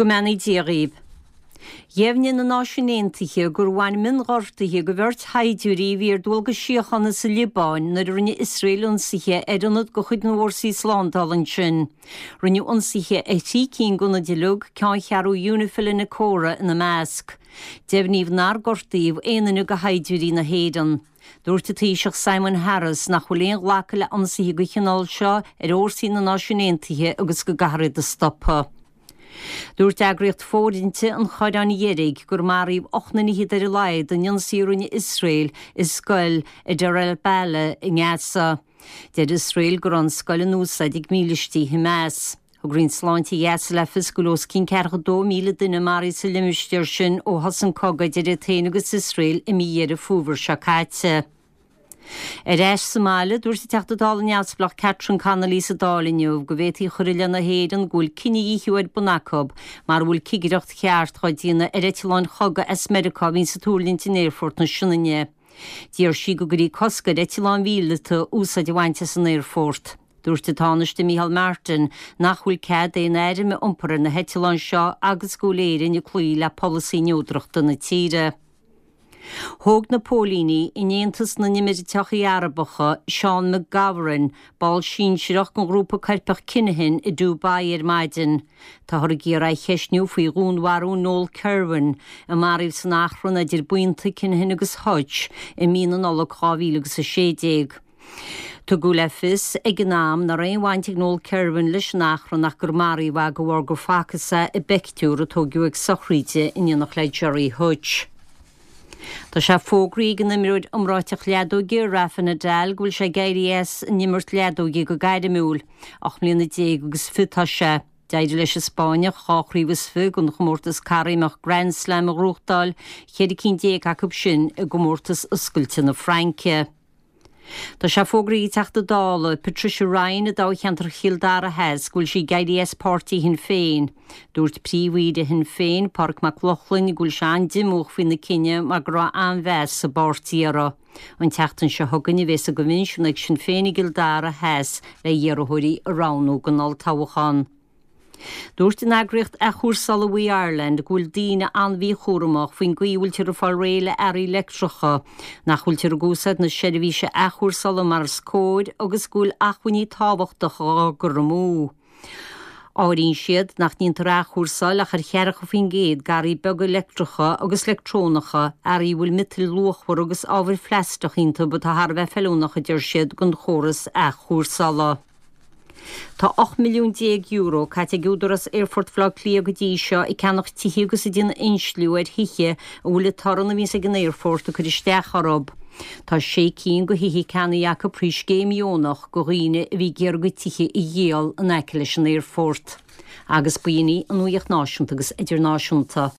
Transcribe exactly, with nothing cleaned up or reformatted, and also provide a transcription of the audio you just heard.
Go mbeannaí Dia dhaoibh. Dheimhnigh na Náisiúin Aontaithe gur bhain mionghortuithe do bheirt shaighdiúirí a bhí ar dualgas síochána sa Liobáin nuair a rinne Iosrael ionsaithe ar ionad de chuid na bhfórsaí slándála ansin. Rinneadh ionsaithe ar thrí cinn d'ionaid uilig, ceanncheathrú UNIFIL in Naqoura ina measc. Deimhníodh nár gortaíodh aon duine de shaighdiúirí na hÉireann. Dúirt an Taoiseach Simon Harris nach bhfuil aon ghlacadh le ionsaithe den chineál seo ar fhórsaí na Náisiún Aontaithe agus go gcaithfear iad a stopadh. Dúirt eagraíocht fóirithinte an Chorráin Dheirg gur maraíodh ocht nduine fhichead ar a laghad in ionsaí a rinne Iosrael i scoil i Deir el-Balah i nGaza. Deir Iosrael go raibh an scoil in úsáid ag mílístí Hamas. Thug Roinn Sláinte Ghaza le fios go bhfuil os cionn ceathracha dó míle duine maraithe sa limistéar sin ó thosaigh an cogadh idir iad féin agus Iosrael i mí Dheireadh Fómhair seo caite. Ar ais sa mbaile, dúirt an Teachta Dála neamhspleách Catherine Connolly sa Dáil inniu go bhféadfaí a chur i leith na hÉireann go bhfuil cinedhíothú ar bun acu mara bhfuil cigireacht cheart á déanamh ar eitleáin chogaidh as Meiriceá a bhíonns ag tuirlingt in Aerfort na Sionainne. D'iarr sí go gcuirfí cosc ar eitleáin mhíleata úsáid a bhaint as an aerfort. Dúirt an Tánaiste Micheál Martin nach bhfuil cead aon airm a iompar ar na heitleáin seo agus go bhfuil Éirinn ag cloí le polasaí neodrachta na tíre. Thóg na póilíní in Aontas na nÉimíríochtaí Arabacha Seán McGovern, ball sinsearach den ghrúpa coirpeach Kinahan i Dubai ar maidin. Táthar ag iarraidh é a cheistniú faoi dhúnmharú Noel Kirwan, a maraíodh san achrann idir buíonta Kinahan agus Hutch i mí na Nollag dhá mhíle agus a sé déag. Tugadh le fios ag an am nach raibh aon bhaint ag Noel Kirwan leis an achrann ach gur maraíodh é de bharr gur facthas é i bpictiúr a tógadh ag sochraid in éineacht le Gerry Hutch. Tá sé fógraithe ag an imreoir iomráiteach leadóige Rafa Nadal go bhfuil sé ag éirí as an imirt leadóige go gairmiúil. Ocht mbliana déag agus fiche atá sé. D'éirigh leis an Spáinneach dhá chraobh is fiche den chomórtas caithréimeach Grand Slam a ghnóthachtáil, ceithre cinn déag acu sin i gcomórtas oscailte na Fraince. Tá sé fógraithe ag Teachta Dála Patricia Ryan i dtoghcheantar Chill Dara Theas go bhfuil sí ag éirí as páirtí Shinn Féin. Dúirt príomh-aoire Shinn Féin, Pádraig Mac Lochlainn, go bhfuil sé an-diomúch faoina cinneadh mar go raibh an-mheas sa bpáirtí uirthi. An tseachtain seo chugainn a bheas a gcoinbhinsiún ag Sinn Féin i gCill Dara Theas le hiarrthóirí a roghnú don olltoghchán. Dúirt an eagraíocht athchúrsála We Ireland go bhfuil daoine an-mhíchúramach faoin gcaoi a bhfuiltear ag fáil réidh le earraí leictreacha, nach bhfuiltear ag úsáid na seirbhíse athchúrsála mar is cóir agus go bhfuil acmhainní tábhachtacha á gcur amú. Áiríonn siad nach ndéantar athchúrsáil ach ar cheathracha faoin gcéad d'earraí beaga leictreacha agus leictreonacha, earraí a bhfuil miotail luachmhara agus ábhair phlaisteach iontu atá thar a bheith feiliúnach, a deir siad, don chóras athchúrsála. Tá ocht milliún déag euro caite ag Údarás Aerfort Bhaile Átha Cliath go dtí seo ag ceannach tithe agus ag déanamh insliú ar thithe a bhfuil an torann a bhíonns ag an aerfort ag cur isteach orthu. Tá sé cinn de thithe ceannaithe acu faoi scéim dheonach do dhaoine a bhí ag iarraidh a gcuid tithe a dhíol in aice leis an aerfort. Agus b'in í an nuacht náisiúnta agus idirnáisiúnta.